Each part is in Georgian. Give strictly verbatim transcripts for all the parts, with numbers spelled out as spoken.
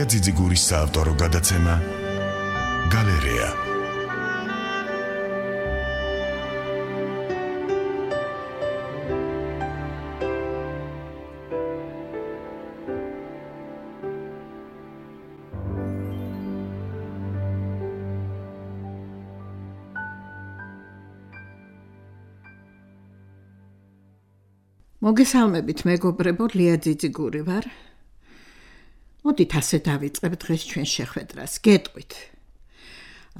ძიძიგურის საავტორო გადაცემა გალერეა. მოგესალმებით მეგობრებო, ლია ძიძიგური ვარ. მოდით ასე დავიწყებთ დღეს ჩვენ შეხვედრას. გეტყვით,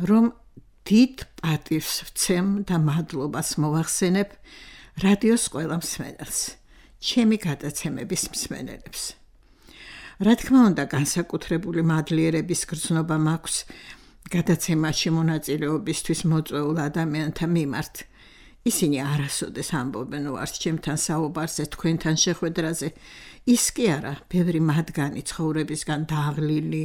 რომ დიდ პატივს ვცემ და მადლობას მოვახსენებ რადიოს ყველა მსმენელს, ჩემი გადაცემების მსმენელებს. რა თქმა უნდა, განსაკუთრებული მადლიერების გრძნობა მაქვს გადაცემაში მონაწილეობისთვის მოწვეულ ადამიანთა მიმართ. ისინი არასოდეს ამბობენ უარს ჩემთან საუბარზე, თქვენთან შეხვედრაზე. ის კი არა, ბევრი მათგანი ცხოვრებისგან დაღლილი,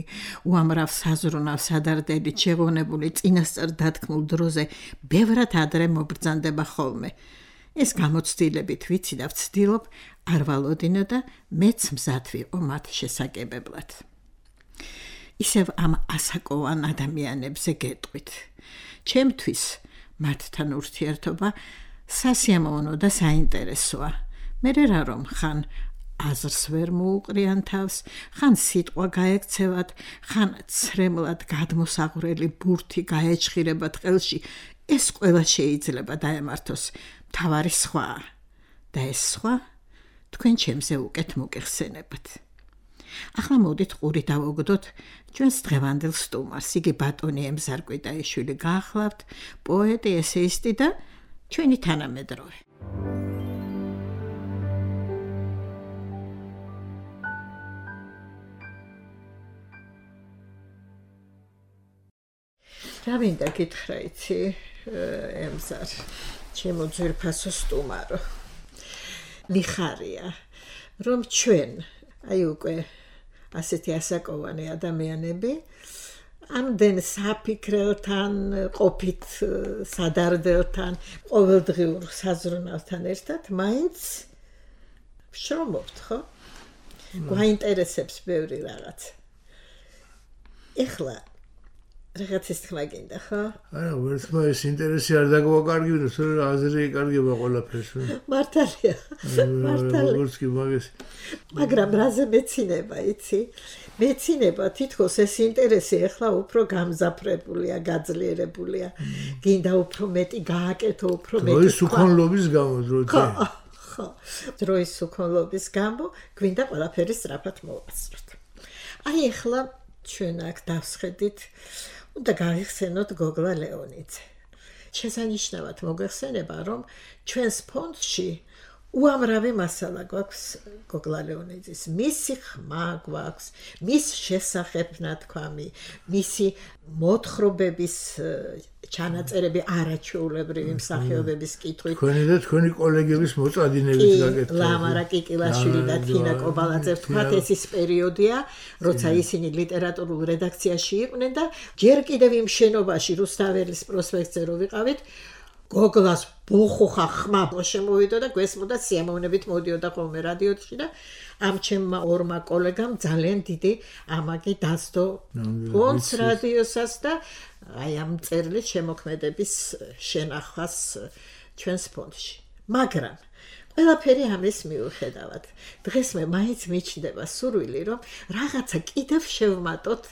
უამრავ საზრუნავ სადარდელით შეღონებული წინასწარ დათქმულ დროზე ბევრად ადრე მობრძანდება ხოლმე. ეს გამოცდილებით ვიცი და ვცდილობ არ ვალოდინო და მეც მზად ვიყო მათ შესაკებებლად. ისევ ამ ასაკოვან ადამიანებზე გეტყვით. ჩემთვის მათთან ურთიერთობა სასიამოვნო და საინტერესოა. მერე რა რომ ხან აზრს ვერ მოუყრიან თავს, ხან სიტყვა გაექცევათ, ხან ცრემლად გადმოსაღვრელი ბურთი გაეჩხირებათ ყელში, ეს ყველა შეიძლება დაემართოს. მთავარი სხვაა და ეს სხვა თქვენ ჩემზე უკეთ მოგეხსენებათ. ახლა მოდით ყური დავოგდოთ ჩვენს დღევანდელ სტუმარს. იგი ბატონი ემზარკვიტაიშვილი გაახლავთ, პოეტი, ესეისტი და ჩვენი თანამედროვე. რა მინდა გითხრა იცი, ემზარ, ჩემო ძვირფასო სტუმარო. მიხარია, რომ ჩვენ, აი უკვე ასეთი ასაკოვანი ადამიანები ამდენ საფიქრელთან, ყოფით სადარდელთან, ყოველდღიურ საზრუნავთან ერთად მაინც ვშრომობთ, ხო? გვაინტერესებს ბევრი რაღაც. ეხლა რაღაცის თქმა გინდა, ხო? არა, ვერცმა ეს ინტერესი არ დაგვაკარგებინოს, თორე აზრი ეკარგება ყველაფერს. მართალია, მართალია. როგორც კი მაგას. მაგრამ რაზე მეცინება, იცი? მეცინება თითქოს ეს ინტერესი ახლა უფრო გამზაფრებულია, გაძლიერებულია. გინდა უფრო მეტი გააკეთო, უფრო მეტი. დროის უქონლობის გამო, დროის. ხო, დროის უქონლობის გამო გვინდა ყველაფერი სწრაფად მოვასწროთ. აი ახლა ჩვენ აქ დავსხედით, უნდა გაიხსენოთ გოგლა ლეონიძე. შესანიშნავად მოგეხსენება, რომ ჩვენს ფონდში უამრავი მასალა გვაქვს გოგლა ლეონიძის. მისი ხმა გვაქვს, მის შესახებ ნათქვამი, მისი მოთხრობების ჩანაწერები, არაჩვეულებრივი მსახიობების კითხვით. თქვენი და თქვენი კოლეგების მოწადინებით გაკეთდა. ლამარა კიკილაშვილი და თინა კობალაძე, თქვათ ეს ის პერიოდია, როცა ისინი ლიტერატურულ რედაქციაში იყვნენ და ჯერ კიდევ იმ შენობაში რუსთაველის პროსპექტზე რო ვიყავით, გოგლას ბუხუხა ხმა შემოვიდა და გვესმოდა სიამოვნებით მოდიოდა ხოლმე რადიოში და ამ ჩემმა ორმა კოლეგამ ძალიან დიდი ამაგი დასდო ფონდს რადიოსაც და აი ამ წერილით შემოქმედების შენახვას ჩვენს ფონდში. მაგრამ ყველაფერი ამის მიუხედავად, დღეს მე მაინც მიჩნდება სურვილი, რომ რაღაცა კიდევ შევმატოთ,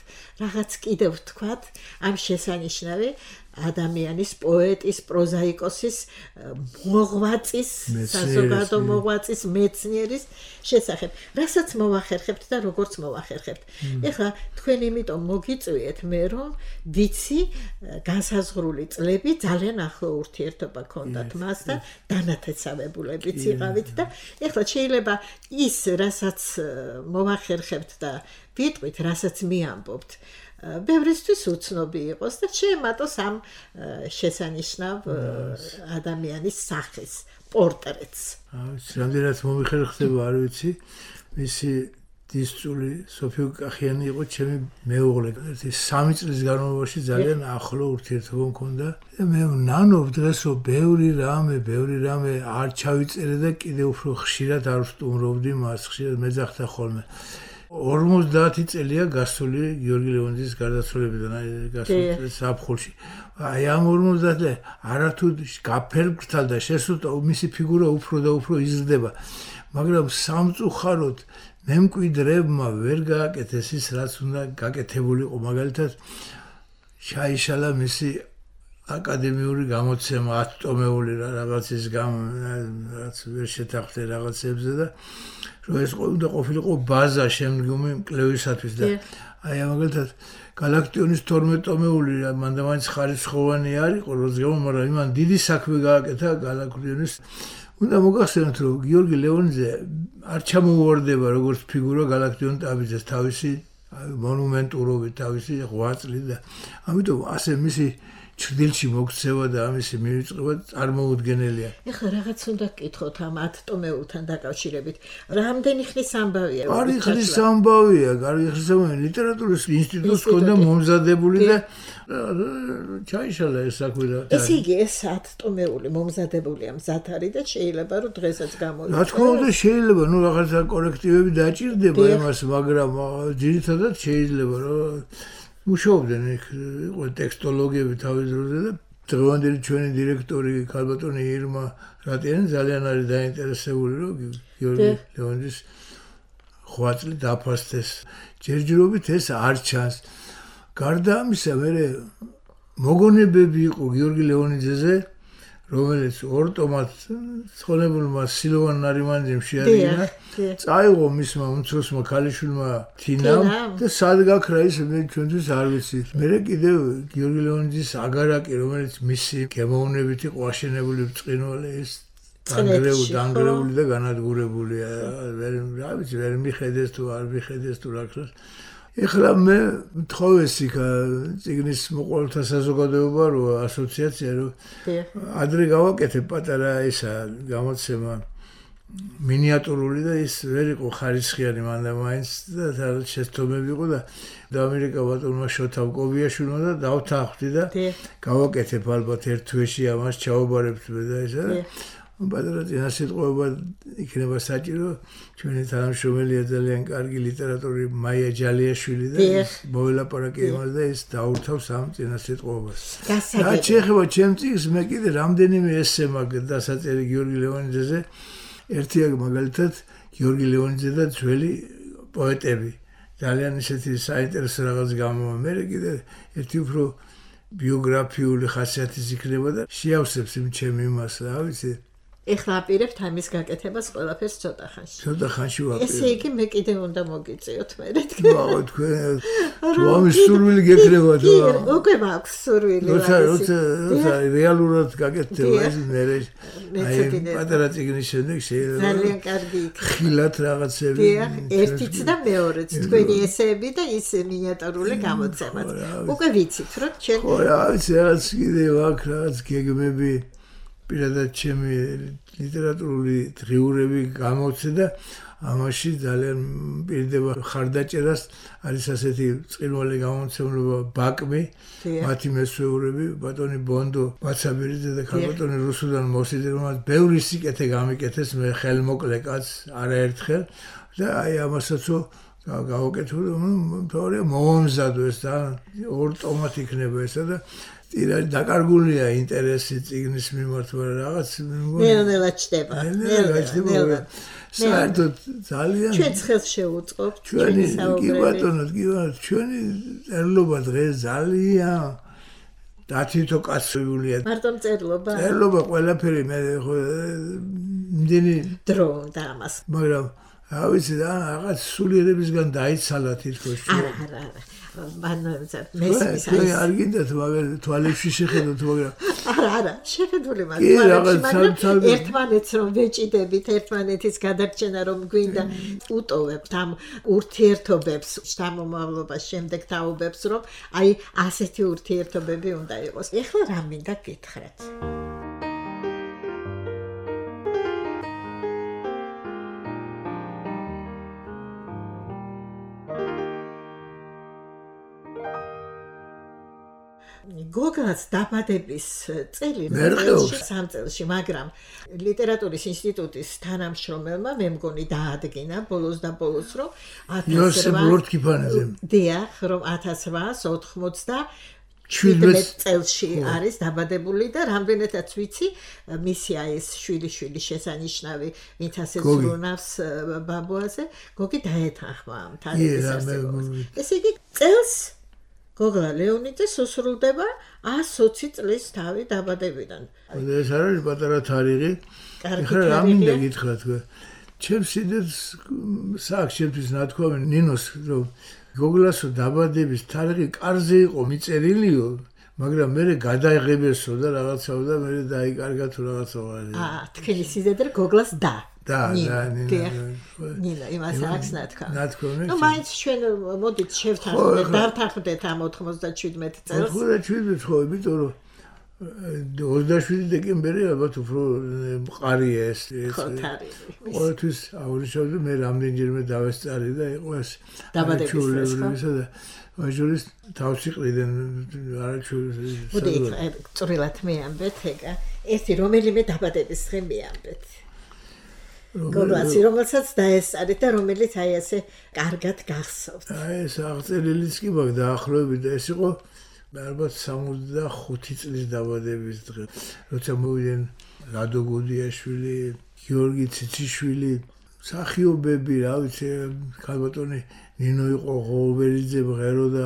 რაღაც კიდევ ვთქვათ ამ შესანიშნავი ადამიანის, პოეტის, პროზაიკოსის, მოღვაწის, საზოგადო მოღვაწის, მეცნიერის შესახებ, რასაც მოვახერხებთ და როგორც მოვახერხებთ. ეხლა თქვენ იმიტომ მოგიწვიეთ მე, რომ ვიცი განსაზღვრული წლები ძალიან ახლო ურთიერთობა ქონდათ მასთან, დანათესავებულებიც იყავით და ეხლა შეიძლება ის, რასაც მოვახერხებთ და ვიტყვით, რასაც მიამბობთ, ბევრისთვის უცნობი იყოს და შეემატოს ამ შესანიშნავ ადამიანის სახეს, პორტრეტს. რამდენად მომიხერხდება, არ ვიცი, მისი დისწული სოფიო კახიანი იყო ჩემი მეუღლე. ერთი სამი წლის განმავლობაში ძალიან ახლო ურთიერთობა მქონდა და მე ვნანობ დღეს, რომ ბევრი რამე, ბევრი რამე არ ჩავიწერე და კიდევ უფრო ხშირად არ ვსტუმრობდი მას, ხშირად მეძახდა ხოლმე. ორმოცდაათი წელია გასული გიორგი ლეონიძის გარდაცვალებიდან გასული ზაფხულში. აი ამ ორმოცდაათი არათუ გაფერგრთალ და შესულთა მისი ფიგურა უფრო და უფრო იზრდება. მაგრამ სამწუხაროდ მემკვიდრეებმა ვერ გააკეთეს ის, რაც უნდა გაკეთებულიყო. მაგალითად ჩაიშალა მისი აკადემიური გამოცემა ათტომეული რაღაცის გამ რაც ვერ შეთანხმდა რაღაცებზე და რომ ეს უნდა ყოფილიყო ბაზა შემდგომი კვლევისათვის და აი მაგალითად გალაქტიონის თორმეტ-ტომეული მანდა მაინც ხარისხოვანი არ იყო როც გამო, მაგრამ იმან დიდი საქმე გააკეთა გალაქტიონის. უნდა მოგახსენოთ რომ გიორგი ლეონიძე არ ჩამოუვარდება როგორც ფიგურა გალაქტიონ ტაბიძეს თავისი მონუმენტურობით, თავისი ღვაწლით და ამიტომ ასე მისი ჩრდილში მოქცევა და ამისი მივიწყება წარმოუდგენელია. ეხლა რაღაც უნდა გკითხოთ ამ ათტომეულთან დაკავშირებით. რამდენი ხნის ამბავია? კარგი ხნის ამბავია, კარგი ხნის ამბავია. ლიტერატურის ინსტიტუტს ჰქონდა მომზადებული და ჩაიშალა ეს საქმე და ესე იგი ეს ათტომეული მომზადებულია მზად არის და შეიძლება რომ დღესაც გამოიყენოს. რა თქმა უნდა შეიძლება, ნუ რაღაცა კორექტივები დაჭირდება იმას, მაგრამ ძირითადად შეიძლება რომ მუშაობდნენ იქ იყო ტექსტოლოგიები თავის დროზე და დღევანდელი ჩვენი დირექტორი ქალბატონი ირმა რატიანი ძალიან არის დაინტერესებული რომ გიორგი ლეონიძის ღვაწლი დაფასდეს. ჯერჯერობით ეს არ ჩანს. გარდა ამისა, მე მოგონებები იყო გიორგი ლეონიძეზე, რომელიც ორ ტომად ცხონებულმა სილოვან ნარიმანძემ შეადგინა. წაიღო მისმა უმცროსმა ქალიშვილმა თინამ და სად გაქრა ის მე ჩვენთვის არ ვიცი. მე კიდევ გიორგი ლეონიძის აგარაკი, რომელიც მისი გემოვნებით იყო აშენებული ბრწყინვალე, ის დანგრეული დანგრეული და განადგურებულია. ვერ რა ვიცი, ვერ მიხედეს თუ არ მიხედეს თუ რა ქრას. ეხლა მე მთხოვეს იქ წიგნის მოყოლთა საზოგადოება რო ასოციაცია რო ადრე გავაკეთებ პატარა ისა გამოცემა მინიატურული და ის ვერ იყო ხარისხიანი მანდა მაინც და შეცდომები იყო და ამერიკა ბატონმა შოთა კობიაშვილმა და დავთანხმდი და გავაკეთებ ალბათ ერთ თვეში ამას ჩაუბარებთ მე და ისა პატარა წინასიტყვება იქნება საჭირო. ჩვენი თანამშრომელია ძალიან კარგი ლიტერატორი მაია ჯალიაშვილი და მოველაპარაკე იმას და ის დაურთავს ამ წინასიტყვებას. რა შეეხება ჩემ წიგნს, მე კიდე რამდენიმე ესე მაქვს დასაწერი გიორგი ლეონიძეზე. ერთი მაგალითად გიორგი ლეონიძე და ძველი პოეტები. ძალიან ისეთი საინტერესო რაღაც გამოვა. მე კიდე ერთი უფრო ბიოგრაფიული ხასიათის იქნება და შეავსებს იმ ჩემ იმას, რა ვიცი. ეხლა აპირებთ ამის გაკეთებას ყველაფერს ცოტა ხანში. ცოტა ხანში ვაპირებ. ესე იგი მე კიდევ უნდა მოგიწიოთ მე თქვენ. ბაო თქვენ თუ ამის სურვილი გეკრება თუ უკვე მაქვს სურვილი. როცა როცა როცა რეალურად გაკეთდება ეს მე აი პატარა წიგნის შემდეგ შეიძლება ძალიან კარგი იქნება. ხილად რაღაცები. ერთიც და მეორეც თქვენი ესეები და ის მინიატურული გამოცემაც. უკვე ვიცით რომ ჩვენ ხო რა ვიცი რაღაც კიდევ აქ რაღაც გეგმები პირადად ჩემი ლიტერატურული დღიურები გამოცე და ამაში ძალიან პირდება ხარდაჭერას. არის ასეთი წილვალი გამოცემულობა ბაკმი, მათი მესვეურები, ბატონი ბონდო, ბაცაბერიძე და ქალბატონი რუსუდან მოსიძე, რომელსაც ბევრი სიკეთე გამიკეთეს, მე ხელმოკლე კაც არაერთხელ და აი ამასაც გავაკეთო, თორე მომზადო ეს და ორ ტომად იქნება ესა და ტირაჟი დაკარგულია ინტერესი წიგნის მიმართ, მაგრამ რაღაც ნელ-ნელა ჩდება. ნელ-ნელა ჩდება. საერთოდ ძალიან ჩვენ ხელს შევუწყობთ ჩვენი კი ბატონო, კი ბატონო, ჩვენი წერლობა დღეს ძალიან დათითო კაცებულია. მარტო წერლობა? წერლობა ყველაფერი მე ხო იმდენი დრო და ამას. მაგრამ რა ვიცი და რაღაც სულიერებისგან დაიცალა თითქოს. არა, არა, არა. მან მესმის აი არ გინდათ მაგრამ თვალებში შეხედოთ მაგრამ არა არა შეხედული მაგრამ ერთმანეთს რომ ვეჭიდებით ერთმანეთის გადარჩენა რომ გვინდა უტოვებთ ამ ურთიერთობებს შთამომავლობას შემდეგ თაობებს რომ აი ასეთი ურთიერთობები უნდა იყოს. ეხლა რა მინდა გითხრათ? გოგლას დაბადების წელი სამ წელში, მაგრამ ლიტერატურის ინსტიტუტის თანამშრომელმა მე მგონი დაადგინა ბოლოს და ბოლოს რომ ათას რვაას ოცდაოთხ წელში არის დაბადებული და რამდენადაც ვიცი მისი ეს შვილი-შვილი შესანიშნავი ვინც ასე ზრუნავს ბაბუაზე გოგი დაეთანხმა ამ თარიღის არსებობას. ესე იგი წელს გოგლა ლეონიძეს უსრულდება ას ოცი წლის თავი დაბადებიდან. ეს არის პატარა თარიღი. ეხლა რა მინდა გითხრათ თქვენ? ჩემს სიძეს საქმე ჩემთვის ნათქვამი ნინოს რომ გოგლასო დაბადების თარიღი კარზე იყო მიწერილიო, მაგრამ მე გადაიღებესო და რაღაცაო და მე დაიკარგა თუ რაღაცაო. აა, თქვენი სიძე გოგლას და და და ნინა იმას აქვს ნათქვამი. ნათქვამი. ნუ მაინც ჩვენ მოდით შევთანხმდეთ, დავთანხმდეთ ამ ოცდაშვიდმეტ წელს. ოცდაშვიდმეტ ხო, იმიტომ რომ ოცდაშვიდი დეკემბერი ალბათ უფრო მყარია ეს. ხო, თარიღი. ყოველთვის აღვნიშნავდი მე რამდენჯერმე დავესწარი და იყო ეს დაბადების და მაჟორის თავში ყრიდან არაჩვეულებრივი. მოდი წვრილად მეამბეთ ეგა. ერთი რომელიმე დაბადების დღე მეამბეთ. გოგლასი რომელსაც დაესწარით და რომელიც აი ესე კარგად გახსოვთ. აი ეს აღწერილიც კი მაგ დაახლოებით და ეს იყო ალბათ სამოცდახუთი წლის დაბადების დღე. როცა მოვიდნენ რადო გუდიაშვილი, გიორგი ციციშვილი, მსახიობები, რა ვიცი, ქალბატონი ნინო იყო ღობერიძე, მღერო და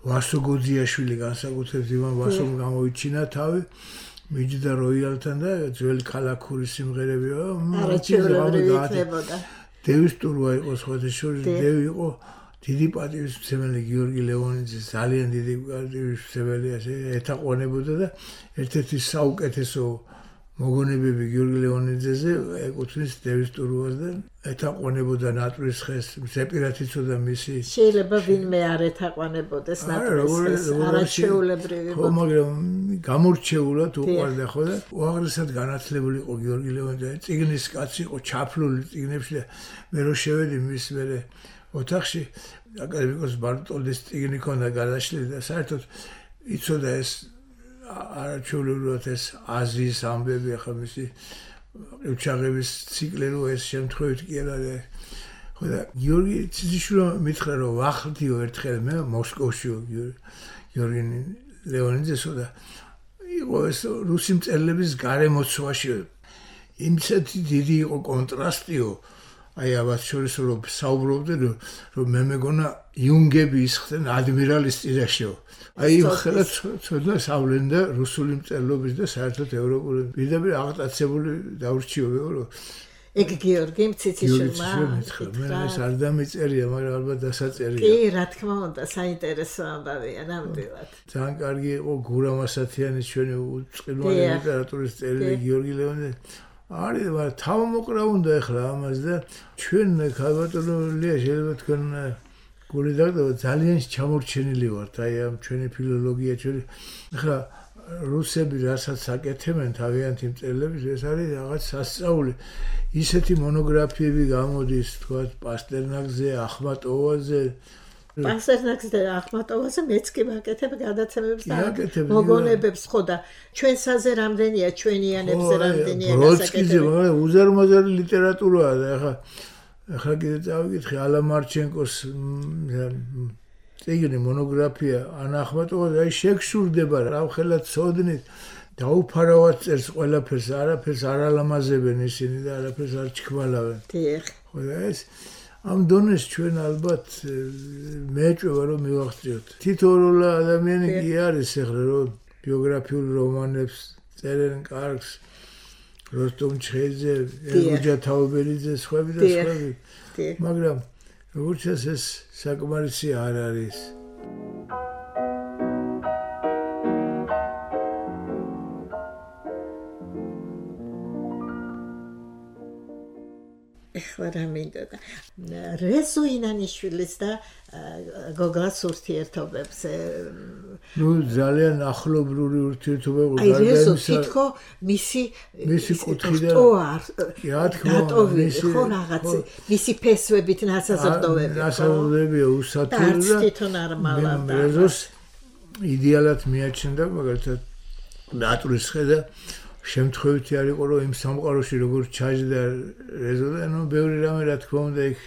ვასო გუდიაშვილი განსაკუთრებით იმან ვასომ გამოიჩინა თავი. მიჯდა როიალთან და ძველი ქალაქური სიმღერებია. არაჩვეულებრივი იქნებოდა. დევის ტურვა იყო სხვათა შორის, დევი იყო დიდი პატივისმცემელი გიორგი ლეონიძის ძალიან დიდი პატივისმცემელი ასე ეთაყვანებოდა და ერთ-ერთი საუკეთესო მოგონებები გიორგი ლეონიძეზე ეკუთვნის დევის ტურვას და ეთაყვანებოდა ნატვრისხეს, ზეპირად იცოდა მისი. შეიძლება ვინმე არ ეთაყვანებოდეს ნატვრისხეს, არაჩვეულებრივი. ხო, მაგრამ გამორჩეულად უყვარდა ხო და უაღრესად განათლებული იყო გიორგი ლეონიძე. წიგნის კაცი იყო, ჩაფლული წიგნებში და მე რო შევედი მის მერე ოთახში აკადემიკოს ბარტოლდის წიგნი ქონდა გადაშლილი და საერთოდ იცოდა ეს არაჩვეულებრივად ეს აზიის ამბები ახლა მისი ყივჩაღების ციკლი რო ეს შემთხვევით კი არა ხო და გიორგი ციციშვილი მითხრა რომ ვახდიო ერთხელ მე მოსკოვშიო გიორგი ლეონიძესო და იყო ეს რუსი მწერლების გარემოცვაში იმცეთი დიდი იყო კონტრასტიო აი აბათ შორის რომ საუბრობდნენ რომ მე მეგონა იუნგები ისხდნენ ადმირალის ტირაშიო აი ხელა ცოდნა სავლენ და რუსული მწერლობის და საერთოდ ევროპული პირდაპირ აღტაცებული დაურჩიოებო რომ ეგ გიორგი ციციშვილი მე ეს არ დამეწერია მაგრამ ალბათ დასაწერია კი რა თქმა უნდა საინტერესო ამბავია ნამდვილად ძალიან კარგი იყო გურამ ასათიანის ჩვენი უწყლვანი ლიტერატურის წერილი გიორგი ლეონიძე არის მაგრამ თავმოყრა უნდა ეხლა ამას და ჩვენ ქალბატონია შეიძლება თქვენ გული დაგდო ძალიან ჩამორჩენილი ვართ აი ამ ჩვენი ფილოლოგია ჩვენი ეხლა რუსები რასაც აკეთებენ თავიანთი მწერლების ეს არის რაღაც სასწაული ისეთი მონოგრაფიები გამოდის თქვა პასტერნაკზე ახმატოვაზე პასტერნაკზე და ახმატოვაზე მეც კი ვაკეთებ გადაცემებს და მოგონებებს ხო და ჩვენსაზე რამდენია ჩვენიანებზე რამდენია გასაკეთებელი მაგრამ უზარმაზარი ლიტერატურაა და ეხლა ეხლა კიდე წავიკითხე ალა მარჩენკოს წიგნი მონოგრაფია ან ახმატოვაზე აი შეგშურდება რა ხელა ცოდნით დაუფარავად წერს ყველაფერს არაფერს არ ალამაზებენ ისინი და არაფერს არ ჩქვალავენ დიახ ხო და ეს ამ დონეს ჩვენ ალბათ მეეჭვება რომ მივახციოთ თითოეული ადამიანი კი არის ეხლა რომ ბიოგრაფიულ რომანებს წერენ კარგს როსტომ ჩხეიძე, ელგუჯა თაუბერიძე, სხვები და სხვები. მაგრამ როგორც ეს საკმარისი არ არის. ეხლა რა მინდა და რეზო ინანიშვილის და გოგლას ურთიერთობებს ნუ ძალიან ახლობლური ურთიერთობა იყო აი რეზო თითქო მისი მისი კუთხიდან რა თქმა უნდა მისი ხო რაღაც მისი ფესვებით ნასაზრდოები ნასაზრდოებია უსათური და თვითონ არ მალავდა რეზოს იდეალად მიაჩნდა, მაგალითად ნატურის ხედა შემთხვევითი არ იყო, რომ იმ სამყაროში როგორ ჩაჯდა რეზო და ნუ ბევრი რამე რა თქმა უნდა იქ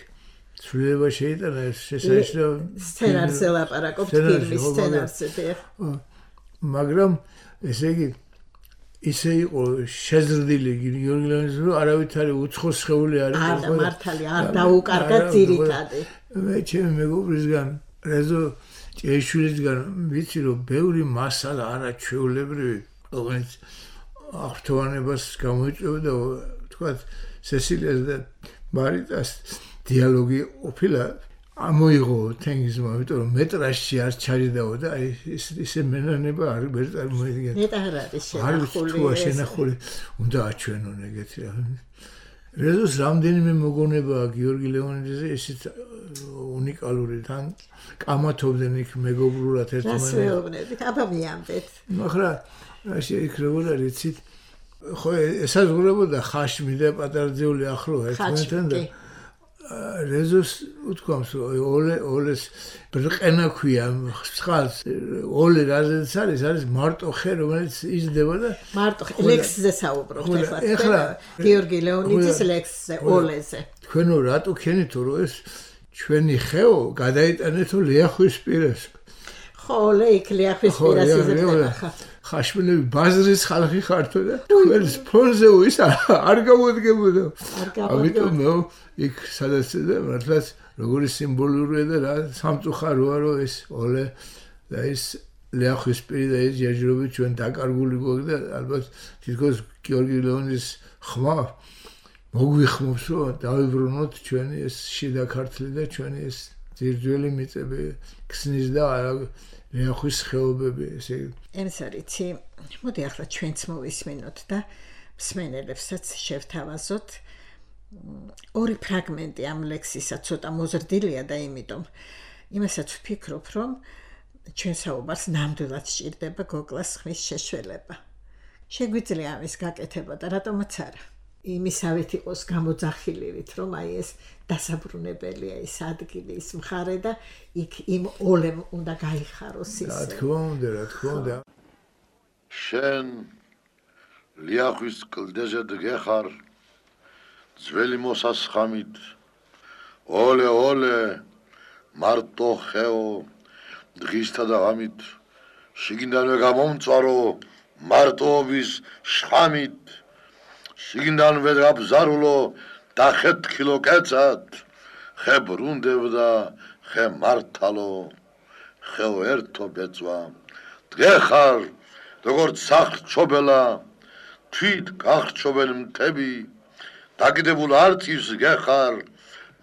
ცვლილება შეიტანა, ეს შესაძლოა სცენარზე ლაპარაკობთ, ფილმის სცენარზე. მაგრამ ესე იგი ისე იყო შეზრდილი გიორგი ლეონიძე, რომ არავითარი უცხო სხეული არ იყო. არა მართალი, არ დაუკარგა ძირითადი. მე ჩემი მეგობრისგან რეზო ჭეიშვილისგან ვიცი, რომ ბევრი მასალა არაჩვეულებრივი, რომელიც აღფრთოვანებას გამოიწვევდა, თქვათ სესილიას და მარიტას დიალოგი ყოფილა ამოიღო თენგიზმა, იმიტომ რომ მეტრაჟში არ ჩაჯდაო და აი ის ისე მენანება არ ვერ წარმოიდგენთ. მეტ არ არის შენახული. არ შენახული უნდა აჩვენონ ეგეთი რა. რეზოს რამდენიმე მოგონება გიორგი ლეონიძეზე, ისიც უნიკალური თან კამათობდნენ იქ მეგობრულად ერთმანეთს. რასეუბნებით, აბა მიამდეთ. მაგრამ რა შეიქრებოდა რიცით ხო ესაზღვრებოდა ხაშმი და პატარძეული ახლო ერთმანეთთან და რეზოს უთქვამს ოლე ოლეს ბრყენა ქვია ხალხს ოლე რაზეც არის არის მარტო ხე რომელიც იზრდება და მარტო ლექსზე საუბრობთ ახლა გიორგი ლეონიძის ლექსზე ოლეზე თქვენო რატო ქენითო რომ ეს ჩვენი ხეო გადაიტანეთო ლიახვის პირას ხო ოლე იქ ლიახვის პირას იზრდება ხა ხაშმილები ბაზრის ხალხი ხართო და თქვენს ფონზე ის არ გამოდგებოდა ამიტომ იქ სადაც და მართლაც როგორი სიმბოლურია და რა სამწუხაროა რომ ეს ოლე და ეს ლიახვის პირი და ეს ჯერჯერობით ჩვენ დაკარგული გვაქვს და ალბათ თითქოს გიორგი ლეონიძის ხმა მოგვიხმობს რომ დავიბრუნოთ ჩვენი ეს შიდა ქართლი და ჩვენი ეს ძირძველი მიწები ქსნის და ლიახვის ხეობები ესე ემსარიცი მოდი ახლა ჩვენც მოვისმენოთ და მსმენელებსაც შევთავაზოთ ორი ფრაგმენტი ამ ლექსისა ცოტა მოზრდილია და იმიტომ იმასაც ვფიქრობ რომ ჩვენ საუბარს ნამდვილად სჭირდება გოგლას ხმის შეშველება შეგვიძლია ამის გაკეთება და რატომაც არა იმისავით იყოს გამოძახილივით რომ აი ეს დასაბრუნებელია ის ადგილი ის მხარე და იქ იმ ოლემ უნდა გაიხაროს ის რა თქმა უნდა რა თქმა უნდა შენ ლიახვის კლდეზე დგეხარ ძველი მოსასხამით ოლე ოლე მარტო ხეო დღისთა და ღამით შიგნიდანვე გამომწვარო მარტოობის შხამით შიგნიდანვე გაბზარულო და ხეთქილო კეცად ხე ბრუნდებდა ხე მართალო ხეო ერთო ბეწვა დგეხარ როგორც სახრჩობელა თვით გახრჩობელი მთები დაგიდებულ არწივს გეხარ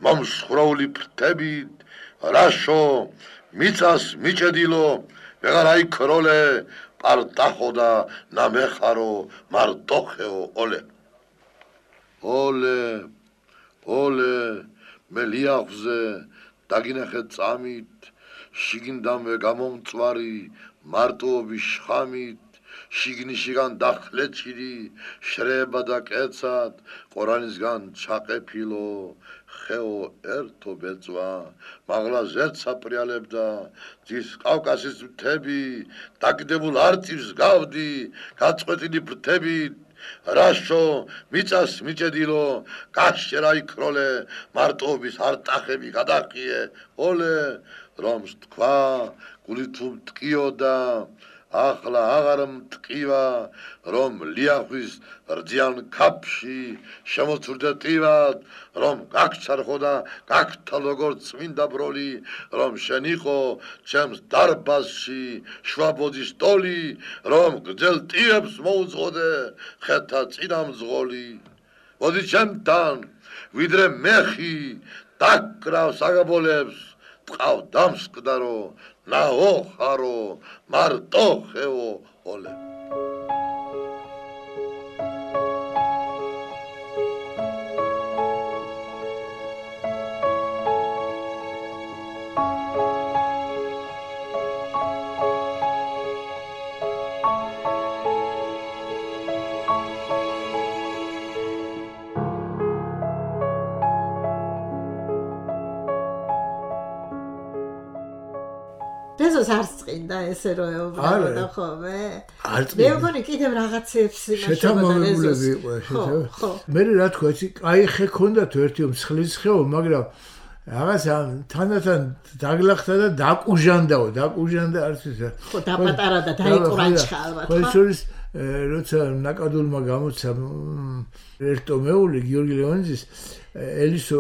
მომსხროული ფრთებით რაშო მიწას მიჭედილო ვეღარ აიქროლე პარტახო და ნამეხარო მარტოხეო ოლე ოლე ოლე მე ლიახვზე დაგინახე წამით შიგნიდანვე გამომწვარი მარტოობის შხამით შიგნისგან დახლეჭილი შრება და კეცად ყორანისგან ჩაყეფილო ხეო ერთო ბეწვა მაღლა ზეცსა პრიალებდა ძის კავკასის მთები დაგდებულ არწივს გავდი გაწყვეტილი ფრთებით რაშო მიწას მიჭედილო გაშერა იქროლე მარტოობის არტახები გადაყიე ოლე რომს თქვა გული თუ მტკიოდა ახლა აღარ მტკივა რომ ლიახვის რძიან ქაფში შემოცურდა ტივად რომ გაგჩარხო და გაგთა როგორც წმინდა ბროლი რომ შენ იყო ჩემს დარბაზში შვაბოძის ტოლი რომ გძელ ტიებს მოუძღოდე ხეთა წინამძღოლი მოდი ჩემთან ვიდრე მეხი დაკრავ საგაბოლებს ტყავ დამსკდარო ნაოხარო მარტოხეო ოლე არ წინდა ესე რომ ეუბნებოდა ხოლმე? არ წინდა. მე მგონი კიდევ რაღაცებს იმაშობოდა შეთამამებულები იყო შეთამამებული. მე რა თქვა, იცი, კაი ხე ქონდათ ერთი მსხლის ხეო, მაგრამ რაღაცა თანდათან დაგლახდა და დაკუჟანდაო, დაკუჟანდა არც ისა. ხო, დაპატარა და დაიკურანჩხა ალბათ, ხო? ხო, როცა ნაკადულმა გამოცა ერთომეული გიორგი ლეონიძის ელისო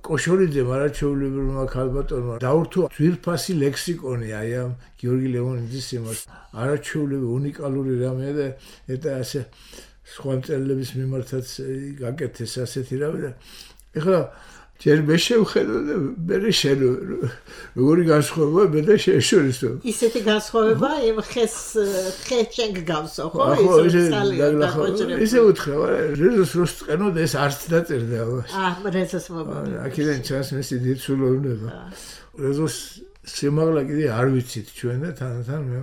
კოშორიძემ არაჩვეულებრივმა ქალბატონმა დაურთო ძვირფასი ლექსიკონი აი ამ გიორგი ლეონიძის იმას არაჩვეულებრივი უნიკალური რამეა და eta ასე სხვა მწერლების მიმართაც გაკეთეს ასეთი რამე და ეხლა ჯერ მე შევხედო და მე შენ როგორი განსხვავება მე და შენ შორის ისეთი განსხვავება იმ ხეს ხეს შენ გგავსო ხო ისე უთხრა რეზოს როს წენოდა ეს არც დაწერდა აა რეზოს მოგონი აქედან ჩანს მისი დიდსულოვნება რეზოს სიმაღლა კიდე არ ვიცით ჩვენ და თანათან მე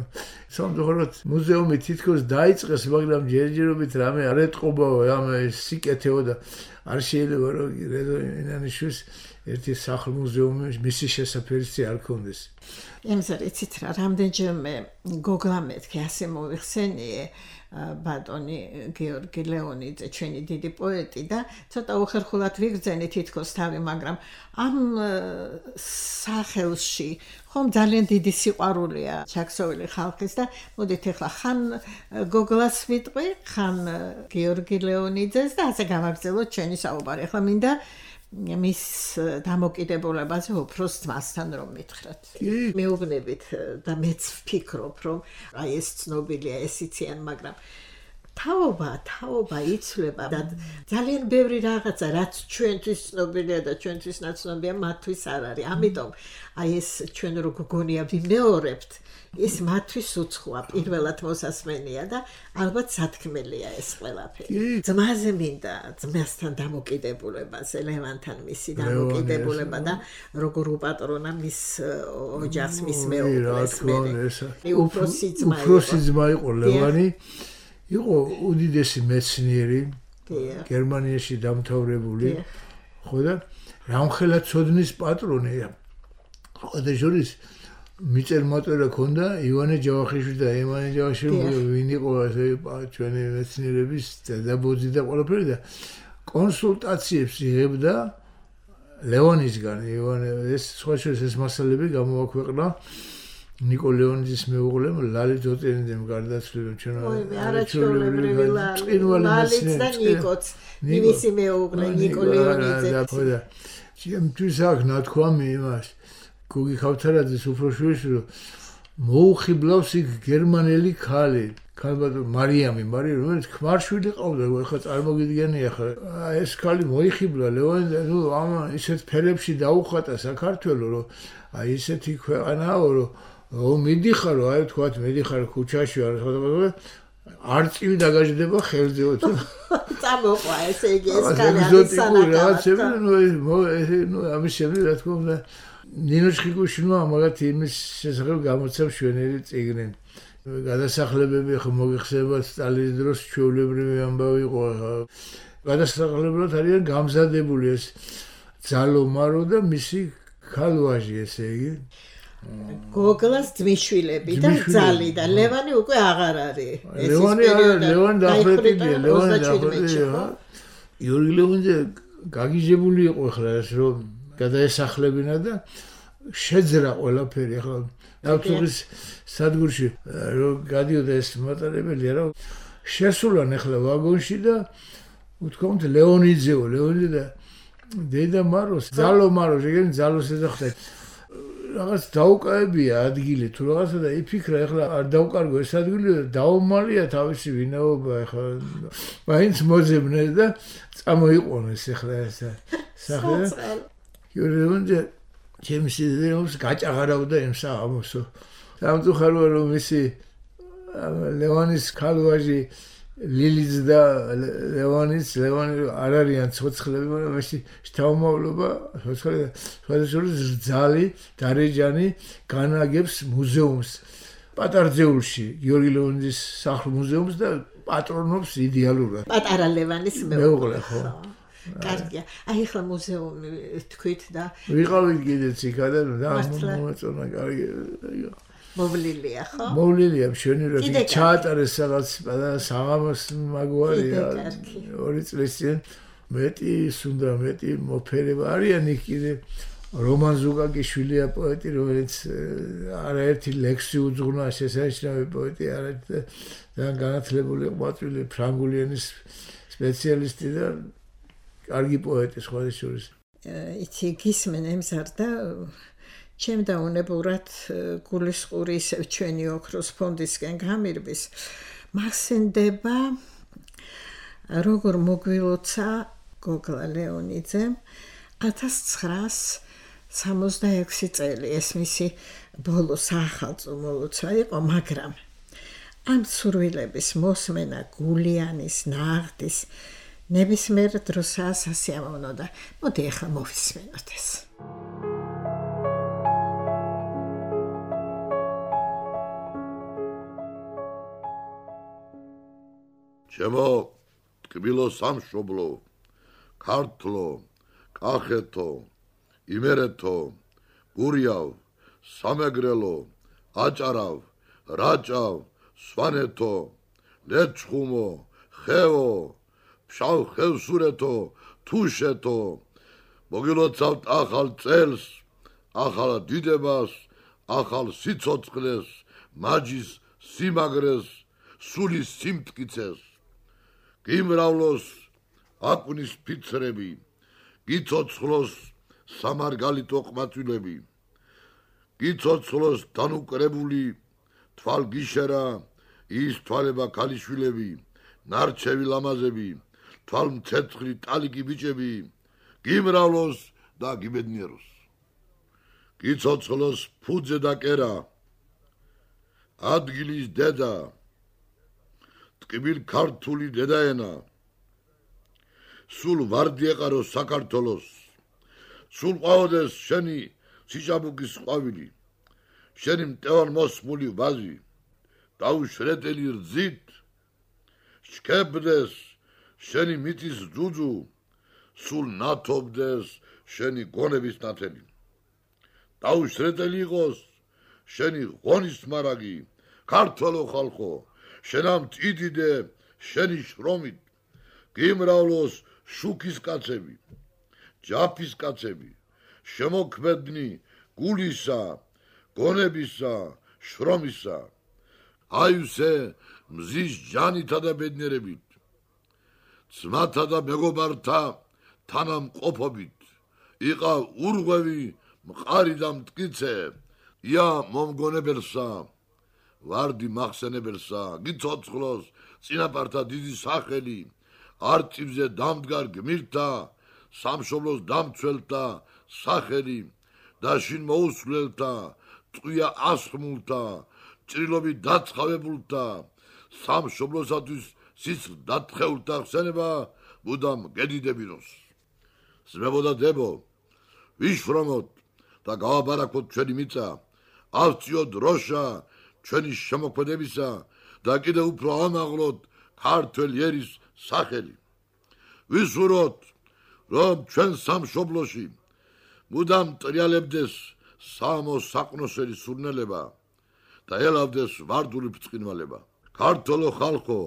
სამწუხაროდ მუზეუმი თითქოს დაიწყეს მაგრამ ჯერჯერობით რამე არ ეტყობაო ამ სიკეთეო და არ შეიძლება რომ რეზო ინანიშვილს ერთი სახლ-მუზეუმი მისი შესაფერისი არ ქონდეს. იმზარ იცით რა რამდენჯერმე გოგლა მეთქე ასე მოიხსენიე ბატონი გიორგი ლეონიძე ჩვენი დიდი პოეტი და ცოტა უხერხულად ვიგრძენი თითქოს თავი მაგრამ ამ სახელში ხომ ძალიან დიდი სიყვარულია ჩაქსოვილი ხალხის და მოდით ახლა ხან გოგლას ვიტყვი ხან გიორგი ლეონიძეს და ასე გავაგრძელოთ ჩვენი საუბარი ახლა მინდა მის დამოკიდებულებაზე უფროს ძმასთან რომ მითხრათ. მეუბნებით და მეც ვფიქრობ რომ აი ეს ცნობილია ეს იციან მაგრამ თაობა თაობა იცვლება და ძალიან ბევრი რაღაცა რაც ჩვენთვის ცნობილია და ჩვენთვის ნაცნობია მათთვის არ არის. ამიტომ აი ეს ჩვენ რო გგონია ვიმეორებთ ის მათთვის უცხოა პირველად მოსასმენია და ალბათ სათქმელია ეს ყველაფერი. ძმაზე მინდა ძმასთან დამოკიდებულებაზე ლევანთან მისი დამოკიდებულება და როგორ უპატრონა მის ოჯახს მის მეუღლეს მე. უფროსი ძმა იყო. უფროსი ძმა იყო ლევანი. იყო უდიდესი მეცნიერი გერმანიაში დამთავრებული ხო და რამხელა ცოდნის პატრონი ხო და ჟურის მიწერ-მოწერა ქონდა ივანე ჯავახიშვილი და ივანე ჯავახიშვილი ვინ იყო ასე ჩვენი მეცნიერების დედაბოძი და ყველაფერი და კონსულტაციებს იღებდა ლეონისგან ივანე ეს სხვა შორის ეს მასალები გამოაქვეყნა ნიკო ლეონიძის მეუღლემ ლალი ძოწენიძემ გარდაცვლილ ჩვენ არაჩვეულებრივი ლალიც და ნიკოც მისი მეუღლე ნიკო ლეონიძე და ჩემთვის აქვს ნათქვამი იმას გოგი ქავთარაძის უფროსშვილი რომ მოუხიბლავს იქ გერმანელი ქალი ქალბატონ მარიამი მარიამი რომელიც ქმარშვილი ყავდა ეხლა წარმოგიდგენია ხა ეს ქალი მოიხიბლა ლეონიძე ნუ ამ ისეთ ფერებში დაუხატა საქართველოს რომ აი ისეთი ქვეყანაა რომ ო მიდიხარო აი თქვათ მიდიხარ ქუჩაში არ ხოდა არ წილი დაგაჟდება ხელზე თუ წამოყვა ესე იგი ეს კანალი სანაკა ნუ ნუ ამის შემდეგ რა თქმა უნდა ნინო ჩხიკუშინმა მაგათ იმის შესახებ გამოცემ შვენელი წიგნი გადასახლებები ხო მოგიხსენებათ სტალინის დროს ჩვეულებრივი ამბავი იყო გადასახლებად არიან გამზადებული ეს ძალომარო და მისი ქალვაჟი ესე იგი გოგლას ძმისშვილები და ძალი და ლევანი უკვე აღარ არის. ლევანი ლევანი დახრეტილია, ლევანი დახრეტილია. იური ლეონიძე გაგიჟებული იყო ხლა ეს რომ გადაესახლებინა და შეძრა ყველაფერი ხლა ავტობის სადგურში რომ გადიოდა ეს მატარებელია რომ შესულან ხლა ვაგონში და უთქვამთ ლეონიძეო, ლეონიძე და დედა მაროს, ძალო მაროს, ეგენ ძალოს ეძახდა რაღაც დაუკავებია ადგილი თუ რაღაცა და იფიქრა ეხლა არ დაუკარგო ეს ადგილი და დაუმალია თავისი ვინაობა ეხლა მაინც მოძებნეს და წამოიყვანეს ეხლა ეს სახე იურონზე ჩემი სიძინავს გაჭაღარავდა იმ საღამოსო სამწუხაროა რომ მისი ლევანის ქალვაჟი ლილიც და ლევანის ლევანი არ არიან ცოცხლები მაგრამ ეს შთამომავლობა ცოცხლები სხვადასხვა ძალი დარეჯანი განაგებს მუზეუმს პატარძეულში გიორგი ლეონიძის სახლ-მუზეუმს და პატრონობს იდეალურად პატარა ლევანის მეუღლე ხო კარგია. აი ახლა მუზეუმი თქვით და ვიყავით კიდეც იქა და მომეწონა კარგი. მოვლილია ხო? მოვლილია მშვენივრად ჩაატარეს რაღაც საღამოს მაგვარია ორი წლის წინ მეტი სუნდა მეტი მოფერება არიან იქ კიდე რომან ზუგაგიშვილია პოეტი რომელიც არაერთი ლექსი უძღვნა შესანიშნავი პოეტი არაერთი და განათლებული ყვაწვილი ფრანგული ენის სპეციალისტი და კარგი პოეტი სხვა შორის იცი გისმენ ემზარდა ჩემ დაუნებურად გულისყური ისევ ჩვენი ოქროს ფონდისკენ გამირბის მახსენდება როგორ მოგვილოცა გოგლა ლეონიძემ ათას ცხრაასი სამოცდაექვსი წელი ეს მისი ბოლო საახალწლო მოლოცვა იყო მაგრამ ამ სურვილების მოსმენა გულიანის ნაღდის ნებისმიერ დროსაც სასიამოვნო და მოდი ახლა მოვისმენოთ ეს ჩემო ტკბილო სამშობლო ქართლო კახეთო იმერეთო გურიავ სამეგრელო აჭარავ რაჭავ სვანეთო ლეჩხუმო ხევო ფშავ ხევსურეთო თუშეთო მოგილოცავთ ახალ წელს ახალ დიდებას ახალ სიცოცხლეს მაჯის სიმაგრეს სულის სიმტკიცეს გიმრავლოს აკუნის ფიცრები გიცოცხლოს სამარგალიტო ყმაწვილები გიცოცხლოს თანუკრებული თვალგიშერა ის თვალება ქალიშვილები ნარჩევი ლამაზები თვალმცეცხლი ტალიკი ბიჭები გიმრავლოს და გიბედნიეროს გიცოცხლოს ფუძე და კერა ადგილის დედა ტკბილ ქართული დედაენა სულ ვარდი ეყაროს საქართველოს სულ ყავდეს შენი სიჭაბუკის ყვავილი შენი მტევან მოსმული ვაზი დაუშრეტელი რძით შკებდეს შენი მიწის ძუძუ სულ ნათობდეს შენი გონების ნათელი დაუშრეტელი იყოს შენი ღონის მარაგი ქართველო ხალხო შენამ წიდიდე შენი შრომით გიმრავლოს შუქის კაცები ჯაფის კაცები შემოქმედნი გულისა გონებისა შრომისა აივსე მზის ჯანითა და ბედნიერებით ძმათა და მეგობართა თანამყოფობით იყავ ურღვევი მყარი და მტკიცე ია მომგონებელსა ვარდი მახსენებელსა გიცოცხლოს წინაპართა დიდი სახელი არწივზე დამდგარ გმირთა სამშობლოს დამცველთა სახელი და შინ მოუსვლელთა ტყვია ასხმულთა ჭრილობით დაცხავებულთა სამშობლოსათვის სისხლ დათხეულთა ხსენება მუდამ გედიდებინოს ზმებოდა დებო ვიშრომოთ და გავაბარაკოთ ჩვენი მიწა ავწიოთ დროშა ჩვენი შემოქმედებისა და კიდევ უფრო ამაღლოთ ქართველი ერის სახელი ვისურვოთ რომ ჩვენ სამშობლოში მუდამ ტრიალებდეს სამო საყნოსელი სურნელება და ელავდეს ვარდული ბრწყინვალება ქართველო ხალხო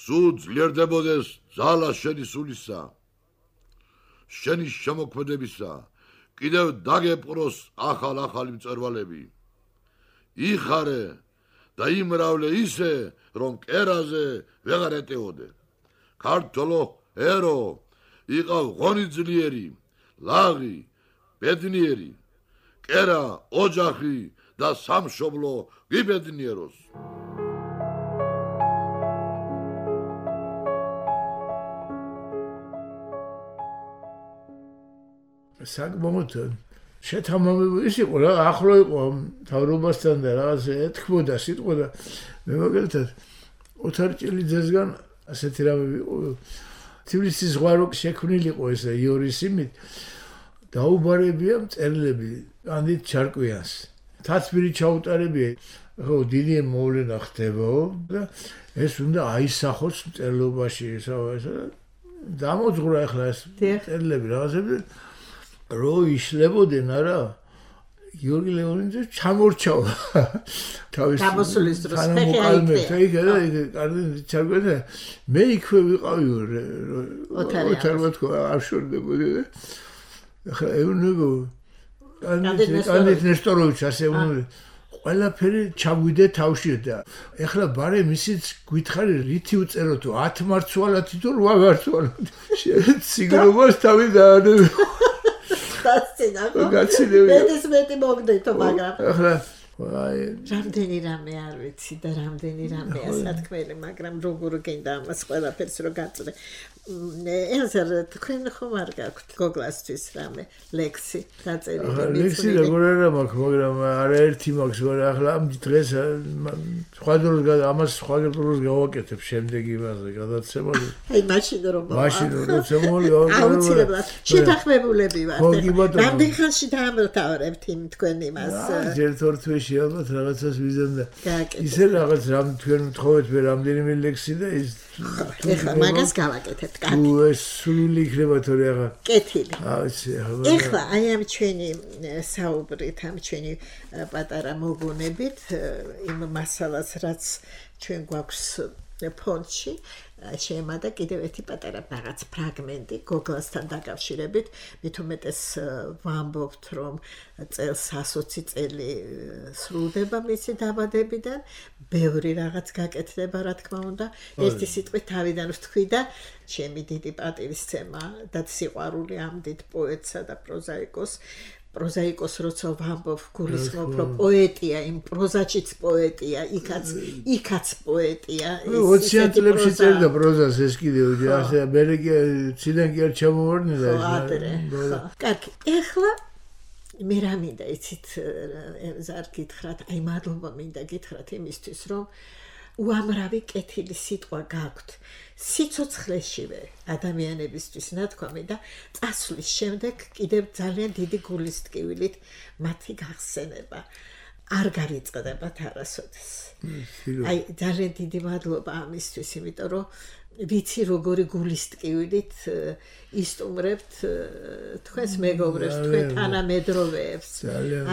სულ ძლიერდებოდეს ძალა შენი სულისა შენი შემოქმედებისა კიდევ დაგეპყროს ახალ ახალი მწვერვალები იხარე და იმრავლე ისე რომ კერაზე ვეღარ ეტეოდე ქართველო ერო იყავ ღონიძლიერი ლაღი ბედნიერი კერა ოჯახი და სამშობლო გიბედნიეროს საკმაოდ შეთამამებული ის იყო რა ახლო იყო თავრობასთან და რაღაც ეთქმოდა სიტყვა და მე მაგალითად ოთარ ჭილიძესგან ასეთი რამე თბილისის ზღვარო შექმნილი იყო ეს იორის იმით დაუბარებია მწერლები ანდით ჩარკვიანს თაცბირი ჩაუტარებია ხო დიდი მოვლენა ხდებაო და ეს უნდა აისახოს მწერლობაში ესა დამოძღვრა ახლა ეს წერილები რაღაცები რო იშლებოდნენ არა გიორგი ლეონიძე ჩამორჩავა თავის გამოსulis დროს თანამოყალმე იქ და იქ კარგი ჩარგვედა მე იქვე ვიყავი ოთარია თქო არ შორდებოდი და ახლა ეუნებო კანდიდატ ნესტოროვიჩ ასე უნური ყველაფერი ჩაგვიდე თავში და ეხლა ბარე მისიც გითხარი რითი უწერო თუ ათ მარცვალათი თუ რვა მარცვალათი სიგრობას თავი დაანე დასწინახო გაცილები ეს მეტი მოგდეთო მაგრამ ახლა აი რამდენი რამე არ ვიცი და რამდენი რამეა სათქმელი მაგრამ როგორ გინდა ამას ყველაფერს რო გაწრე ეზერ თქვენ ხომ არ გაქვთ გოგლასთვის რამე ლექსი დაწერილი ლექსი როგორ არა მაქვს მაგრამ არაერთი მაქვს მაგრამ ახლა ამ დღეს სხვა დროს ამას სხვა დროს გავაკეთებ შემდეგ იმაზე გადაცემაზე აი მაშინ რომ მაშინ როცა მოლი აუცილებლად შეთანხმებულები ვართ რამდენ ხანში დაამთავრებთ იმ თქვენ იმას ერთ ორ თვეში ალბათ რაღაცას ვიზამდა ისე რაღაც რამ თქვენ მთხოვეთ მე რამდენიმე ლექსი და ის ეხლა მაგას გავაკეთებთ კაცი ეს სული იქნება თორე აღარ კეთილი აიცი ეხლა აი ამ ჩვენი საუბრით ამ ჩვენი პატარა მოგონებით იმ მასალას რაც ჩვენ გვაქვს ფონდში შემოდა კიდევ ერთი პატარა რაღაც ფრაგმენტი გოგლასთან დაკავშირებით მით უმეტეს ვამბობთ რომ წელს ასოცი წელი სრულდება მისი დაბადებიდან ბევრი რაღაც გაკეთდება რა თქმა უნდა ერთი სიტყვით თავიდან ვთქვი და ჩემი დიდი პატივისცემა და სიყვარული ამ დიდ პოეტსა და პროზაიკოს პროზაიკოს როცა ვამბობ გულისხმობ რომ პოეტია იმ პროზაჩიც პოეტია იქაც იქაც პოეტია ოციან წლებში წერდა პროზას ეს კიდევ ასე მე ციდან კი არ ჩამოვარდნილა ეს კარგი ეხლა მე რა მინდა იცით ზარ გითხრათ აი მადლობა მინდა გითხრათ იმისთვის რომ უამრავი კეთილი სიტყვა გაქვთ სიცოცხლეშივე ადამიანებისთვის ნათქვამი და წასვლის შემდეგ კიდევ ძალიან დიდი გულის ტკივილით მათი გახსენება არ გავიწყდებათ არასოდეს აი ძალიან დიდი მადლობა ამისთვის იმიტომ რომ ვიცი როგორი გულის ტკივილით ისტუმრებთ თქვენს მეგობრებს თქვენ თანამედროვეებს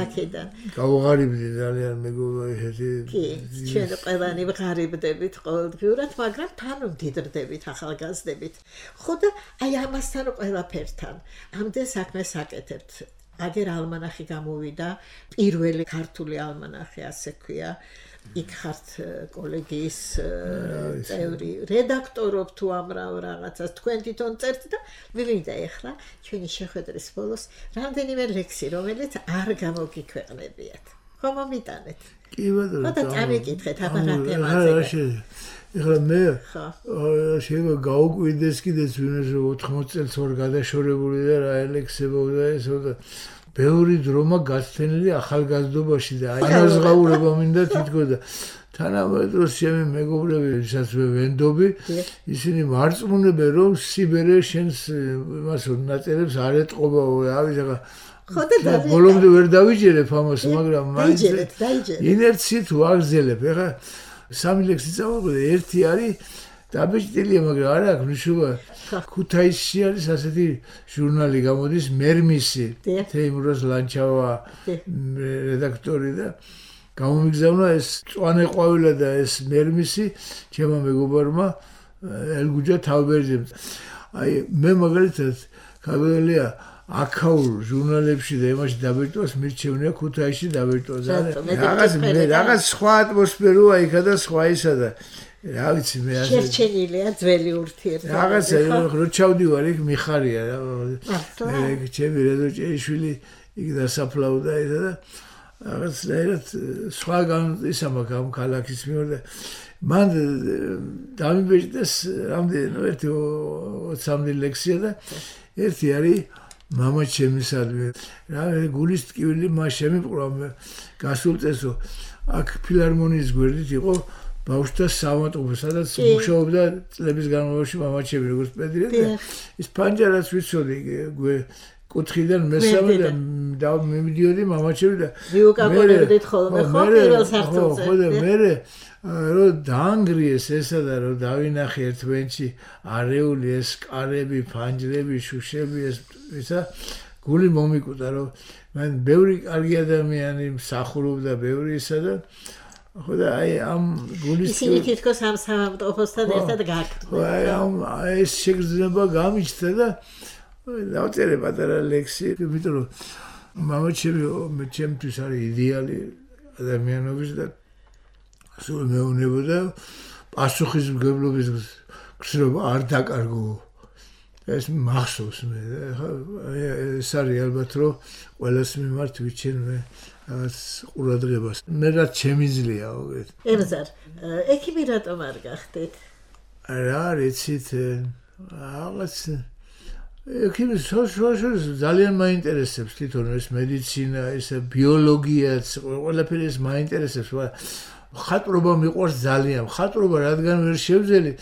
აქედან გავღარიბდი ძალიან მეგობრები კი ჩვენ ყველანი ვღარიბდებით ყოველდღიურად მაგრამ თან ვდიდრდებით ახალგაზრდებით ხო და აი ამასთან ყველაფერთან ამდენ საქმეს აკეთებთ აგერ ალმანახი გამოვიდა პირველი ქართული ალმანახი ასე ქვია იქ ხართ კოლეგიის წევრი რედაქტორობ თუ ამრავ რაღაცას თქვენ თვითონ წერთ და მივიდა ეხლა ჩვენი შეხვედრის ბოლოს რამდენიმე ლექსი რომელიც არ გამოგიქვეყნებიათ ხომ მომიტანეთ კი ბატონო და წამიკითხეთ აბა რა თემაზე ეხლა მე შეიძლება გაუკვირდეს კიდეც ვინმეს ოთხმოც წელს ვარ გადაშორებული და რა ელექსებოდა ესო და ბევრი დრომა გაცენილი ახალგაზრდობაში და აი ანაზღაურება მინდა თითქოს და თანამედროვე დროს ჩემი მეგობრები ვისაც ვენდობი ისინი მარწმუნებენ რომ სიბერე შენს იმას ნაწერებს არ ეტყობაო ავი ზაღა ხოდა ბოლომდე ვერ დავიჯერებ ამას მაგრამ დაიჯერეთ დაიჯერეთ ინერციით ვაგზელებ ეხლა სამი ლექსი წავუყიდე ერთი არის დაბეჭდილია მაგრამ არ აქვს მნიშვნელობა ქუთაისში არის ასეთი ჟურნალი გამოდის მერმისი თეიმურაზ ლანჩავა რედაქტორი და გამომიგზავნა ეს წვანე ყვავილა და ეს მერმისი ჩემო მეგობარმა ელგუჯა თავბერძემ აი მე მაგალითად ქაბელია აქაურ ჟურნალებში და იმაში დაბეჭდვას მირჩევნია ქუთაისში დაბეჭდვა რაღაც მე რაღაც სხვა ატმოსფეროა იქა და სხვა ისა და რა ვიცი მე ასე შერჩენილია ძველი ურთიერთობა რაღაცა რო ჩავდივარ იქ მიხარია მე ჩემი რეზო ჭეიშვილი იქ დასაფლავდა ისა და რაღაცნაირად სხვაგან ისა მაქვს ამ ქალაქის მიერ და მან დამიბეჭდეს რამდენი ერთი ოცამდე ლექსია და ერთი არის მამა ჩემისადმი რა გულის ტკივილი მას შემიპყრა გასულ წესო აქ ფილარმონიის გვერდით იყო ბავშვთა სამატყურო სადაც მუშაობდა წლების განმავლობაში მამაჩემი როგორც პედიატრი ის პანჯარას ვიცოდი კუთხიდან მესამე და მივიდიოდი მამაჩემი და ვიუკაკონებდით ხოლმე ხო პირველ სართულზე ხო და მე რომ დაანგრიეს ესა და რომ დავინახე ერთმანეთში არეული ეს კარები, ფანჯრები, შუშები ეს ისა გული მომიკუტა რომ მან ბევრი კარგი ადამიანი მსახურობდა ბევრი ისა და ხო და აი ამ გულის ისინი თითქოს ამ სამავტოფოსთან ერთად გააკეთებდნენ. აი ამ ეს შეგრძნება გამიჩნდა და დავწერე პატარა ლექსი, იმიტომ რომ მამაჩემი მე ჩემთვის არის იდეალი ადამიანობის და სულ მეუბნებოდა პასუხისმგებლობის გრძნობა არ დაკარგო. ეს მახსოვს მე ხა ეს არის ალბათ რომ ყველას მიმართ ვიჩენე რაღაც ყურადღებას. მე რაც შემიძლია ოღონდ. ებზარ, ექიმი რატომ არ გახდით? რა რეცით რაღაც ექიმი სოციალურ ძალიან მაინტერესებს თვითონ ეს მედიცინა, ეს ბიოლოგიაც, ყველაფერი ეს მაინტერესებს. ხატრობა მიყვარს ძალიან. ხატრობა რადგან ვერ შევძელი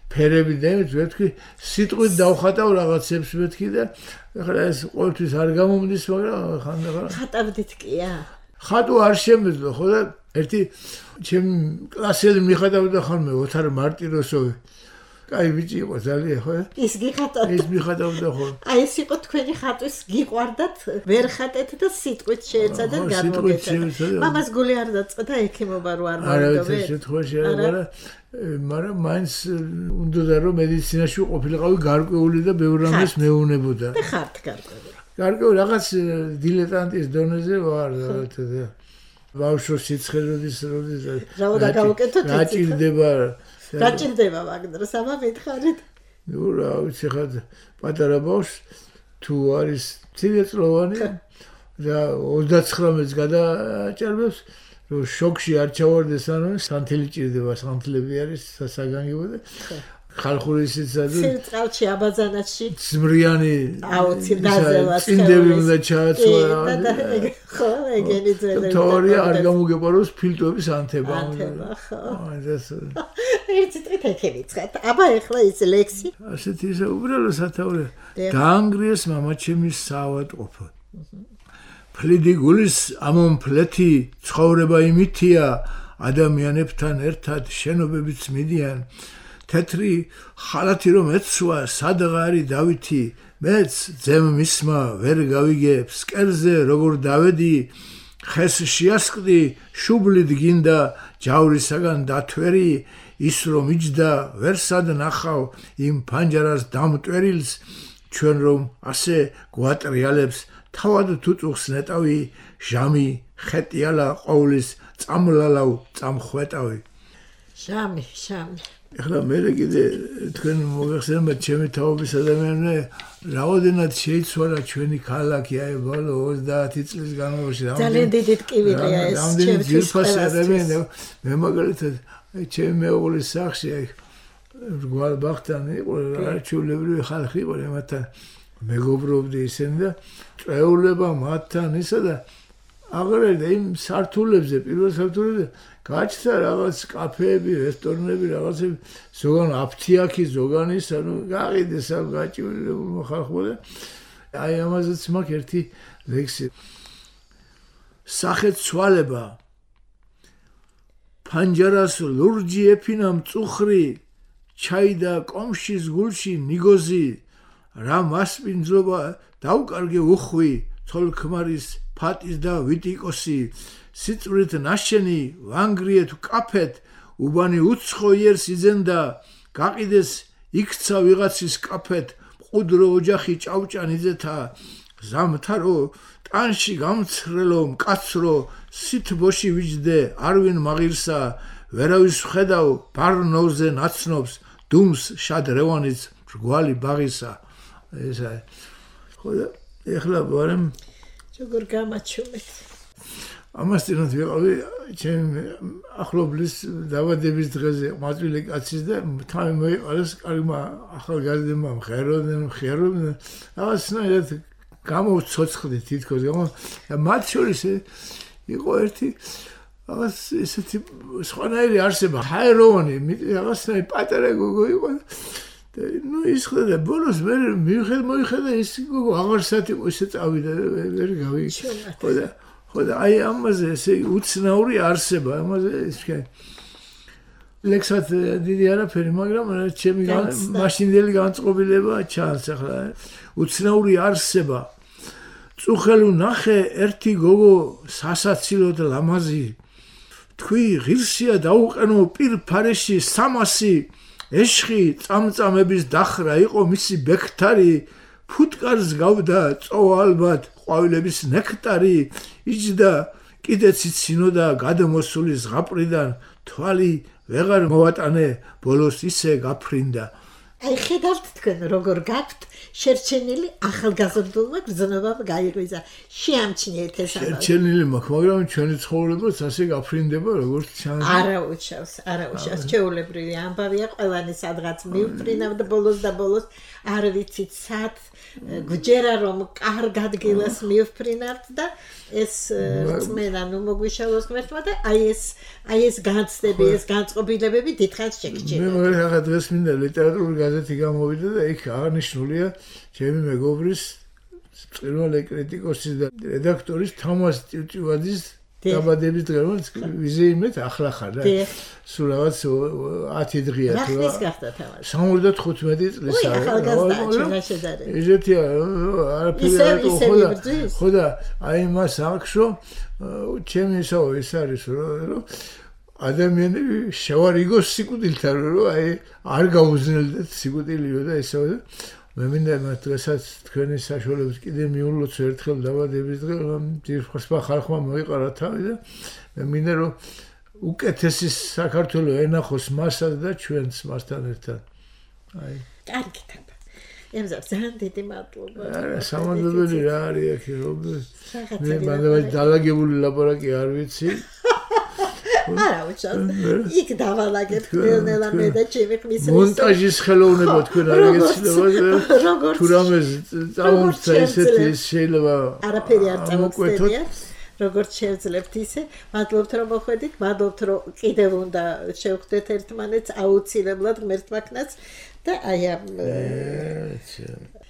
ფერები დემით ვეთქი სიტყვით დავხატავ რაღაცებს ვეთქი და ახლა ეს ყოველთვის არ გამომდის მაგრამ ხანდახან ხატავდით კია ხატო არ შემეძლო ხო და ერთი ჩემი კლასელი მიხატავდა ხოლმე ოთარ მარტიროსოვი კაი ბიჭი იყო ძალიან ხო ის გიხატავდა ის მიხატავდა ხო აი ეს იყო თქვენი ხატვის გიყვარდათ ვერ ხატეთ და სიტყვით შეეცადეთ გამოგეცადეთ მამას გული არ დაწყდა ექიმობა რო არ მოვიდობ არა ეს შეთხოვაში არა მაგრამ მაინც უნდა რომ მედიცინაში ყოფილიყავი გარკვეული და ბევრ რამეს მეუნებოდა. და ხართ გარკვეული. გარკვეული რაღაც დილეტანტის დონეზე ვარ და ბავშვ სიცხეების როდის რა უნდა გავუკეთოთ რა ჭირდება რა ჭირდება მაგდროს ამა მითხარით. ნუ რა ვიცი ხა პატარა ბავშვს თუ არის ცივწლოვანი და ოცდაცხრამი წელს გადაჭარბებს რომ შოქში არ ჩავარდეს ანუ სანთელი ჭირდება სანთლები არის საგანგებო და ხალხური სიცადო ცირწყალში აბაზანაში ზმრიანი აუცი დაზევას წინდები უნდა ჩააცვა ხო ეგენი ძველი თორია არ გამოგეპაროს ფილტვების ანთება ანთება ხო აი ეს ერთი წით ეკეთებიცხეთ აბა ეხლა ის ლექსი ასეთი ისე უბრალო სათაური დაანგრიეს მამაჩემის საავადმყოფო ფლიდი გულის ამონფლეთი ცხოვრება იმითია ადამიანებთან ერთად შენობებიც მიდიან თეთრი ხალათი რომ ეცვა სადღარი დავითი მეც ძემ მისმა ვერ გავიგე ფსკერზე როგორ დავედი ხეს შეასკდი შუბლით გინდა ჯავრისაგან დათვერი ის რომ იჯდა ვერ სად ნახავ იმ ფანჯარას დამტვერილს ჩვენ რომ ასე გვატრიალებს თავად თუ წუხს ნეტავი ჟამი ხეტიალა ყოვლის წამლალავ წამხვეტავი ჟამი ჟამი ეხლა მე კიდე თქვენ მოგეხსენება ჩემი თაობის ადამიანები რაოდენად შეიცვალა ჩვენი ქალაქი აი ბოლო ოცდაათი წლის განმავლობაში ძალიან დიდი ტკივილია ეს ჩემთვის ძირფასები მე მაგალითად ჩემი მეუღლის სახში აი რგვალ ბახტანი იყო არჩევლებრივი ხალხი იყო მათთან მეგობრობდი ისინი და წეულება მათთან ისა და აღარ იმ სართულებზე პირველ სართულებზე გაჩნდა რაღაც კაფეები, რესტორნები, რაღაცები, ზოგან აფთიაქი, ზოგან ის, ანუ გაყიდეს ამ გაჭირებულმა ხალხმა და აი ამაზეც მაქვს ერთი ლექსი. სახეთ ცვალება ფანჯარას ლურჯი ეფინა მწუხრი, ჩაიდა კომშის გულში ნიგოზი, რა მასპინძლობა დაუკარგე უხვი, ცოლქმარის ფატის და ვიტიკოსი სიწვრით ნაშენი ვანგრიეთ კაფეთ უბანი უცხო იერს იძენდა გაყიდეს იქცა ვიღაცის კაფეთ მყუდრო ოჯახი ჭავჭანიძეთა ზამთარო ტანში გამცრელო მკაცრო სითბოში ვიჯდე არვინ მაღირსა ვერავის ხედავ ბარნოზე ნაცნობს დუმს შადრევანიც რგვალი ბაღისა ესა ხო და ეხლა ვარემ როგორ გამაჩუმეთ ამასთანავე ვიყავი ჩემი ახლობლის დაბადების დღეზე მაწვილი კაცის და თავი მოიყარეს კარგმა ახალგაზრდებმა მღეროდნენ მღეროდნენ რაღაცნაირად გამოვცოცხლდი თითქოს და მათ შორის იყო ერთი რაღაც ესეთი სხვანაირი არსება ჰაეროვანი რაღაცნაირი პატარა გოგო იყო და ნუ ის ხდა ბოლოს მე მიხედ მოიხედა ის გოგო აღარ სათი ისე წავიდა ვერ გავიგე ხო და ხო და აი ამაზე ესე უცნაური არსება ამაზე ის ლექსად დიდი არაფერი, მაგრამ ჩემი მაშინდელი განწყობილება ჩანს ახლა. უცნაური არსება. წუხელ ვნახე ერთი გოგო სასაცილოდ ლამაზი. თქვი ღირსია დაუყენო პირფარეში სამასი. ეშხი წამწამების დახრა იყო მისი ბექთარი. ფუტკარს გავდა წოვა ალბათ ყვავილების ნექტარი. იჯდა კიდეც იცინოდა გადმოსული ზღაპრიდან თვალი ვეღარ მოვატანე ბოლოს ისე გაფრინდა. აი ხედავთ თქვენ როგორ გაქვთ შერჩენილი ახალგაზრდულმა გრძნობამ გაიღვიძა შეამჩნიეთ ეს ამბავი შერჩენილი მაქვს მაგრამ ჩვენი ცხოვრებაც ასე გაფრინდება როგორც ჩანს არა უჩავს არა უჩავს ჩეულებრივი ამბავია ყველანი სადღაც მივფრინავთ ბოლოს და ბოლოს არ ვიცით სად გვჯერა რომ კარგ ადგილას მივფრინავთ და ეს რწმენა ნუ მოგვიშალოს ღმერთმა და აი ეს აი ეს განცდები ეს განწყობილებები დიდხანს შეგჭირდა მე რაღაც დღეს მინდა ლიტერატურული გაზეთი გამოვიდა და იქ აღნიშნულია ჩემი მეგობრის პირველი კრიტიკოსის და რედაქტორის თამას ტივტივაძის დაბადების დღე რომელიც ვიზეიმეთ ახლა ხარ და სულ რაღაც ათი დღეა თუ რა გახდა თამაში სამოცდათხუთმეტი წლის არა ახალგაზრდა შედარებით ეზეთია არაფერი არ ხო და ხო და აი მას აქშო ჩემი ისო ის არის რომ ადამიანები შევარიგოს სიკვდილთან რომ აი არ გაუზნელდეთ სიკვდილიო და ისო და მე მინდა მას დღესაც თქვენი საშუალებას კიდე მიულოცო ერთხელ დაბადების დღე ძირფხსა ხალხმა მოიყარა თავი და მე მინდა რომ უკეთესი საქართველო ენახოს მასაც და ჩვენს მასთან ერთად აი კარგი თაბა ემზარ ძალიან დიდი მადლობა არა სამადლობელი რა არის აქ რომ მე მანდ დალაგებული ლაპარაკი არ ვიცი არა უჩვენე იქ დავალაგეთ ნელა მე და ჩემი ხმის მონტაჟის ხელოვნება თქვენ არ ეგეცილება თუ რამე წამოწა ესეთი შეიძლება არაფერი არ წამოწევია როგორც შევძლებთ ისე მადლობთ რომ მოხვედით მადლობთ რომ კიდევ უნდა შევხვდეთ ერთმანეთს აუცილებლად ღმერთმა ქნაც და აი ამ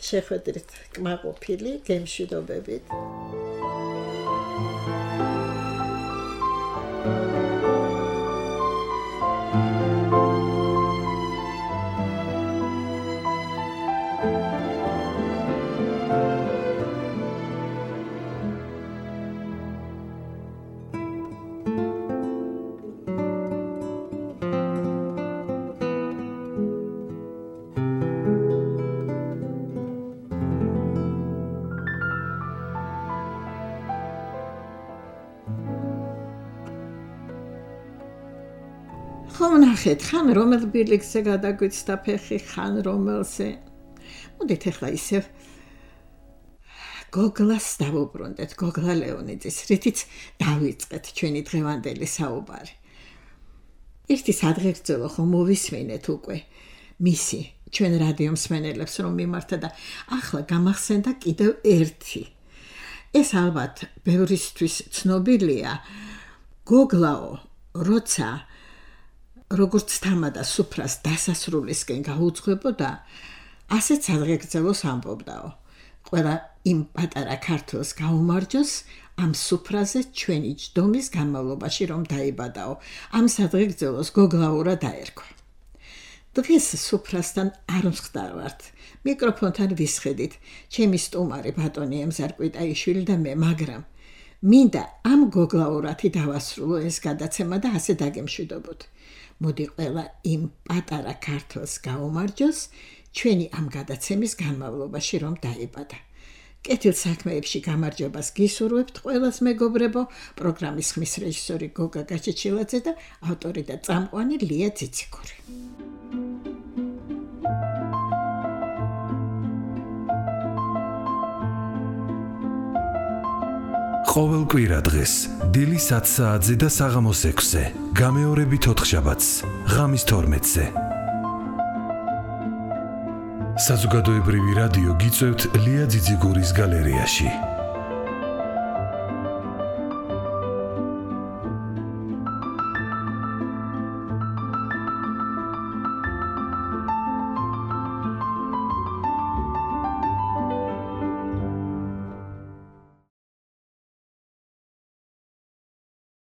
შეხვედრით კმაყოფილი გემშვიდობებით ხომ ნახეთ ხან რომელ ბილიქზე გადაგვიცდა ფეხი ხან რომელზე მოდით ახლა ისევ გოგლას დავუბრუნდეთ გოგლა ლეონიძის რითიც დავიწყეთ ჩვენი დღევანდელი საუბარი ერთი სადღეგრძელო ხომ მოვისმინეთ უკვე მისი ჩვენ რადიო მსმენელებს რომ მიმართა და ახლა გამახსენდა კიდევ ერთი ეს ალბათ ბევრისთვის ცნობილია გოგლაო როცა როგორც თამადა სუფრას დასასრულისკენ გაუძღვებოდა, ასეც სადღეგრძელოს ამბობდაო. ყველა იმ პატარა ქართველს გაუმარჯოს ამ სუფრაზე ჩვენი ჯდომის განმავლობაში რომ დაიბადაო. ამ სადღეგრძელოს გოგლაურა დაერქვა. დღეს სუფრასთან არ მსხდარვართ. მიკროფონთან ვისხედით, ჩემი სტუმარი ბატონი ემზარ კვიტაიშვილი და მე, მაგრამ მინდა ამ გოგლაურათი დავასრულო ეს გადაცემა და ასე დაგემშვიდობოთ. მოდი ყველა იმ პატარა ქართველს გაუმარჯოს ჩვენი ამ გადაცემის განმავლობაში რომ დაიბადა. კეთილ საქმეებში გამარჯვებას გისურვებთ ყველას მეგობრებო, პროგრამის ხმის რეჟისორი გოგა გაჩეჩილაძე და ავტორი და წამყვანი ლია ციციკური. ყოველ კვირა დღეს დილის ათ საათზე და საღამოს ექვსზე გამეორებით ოთხშაბათს ღამის თორმეტზე საზოგადოებრივი რადიო გიწევთ ლია ძიძიგურის გალერეაში.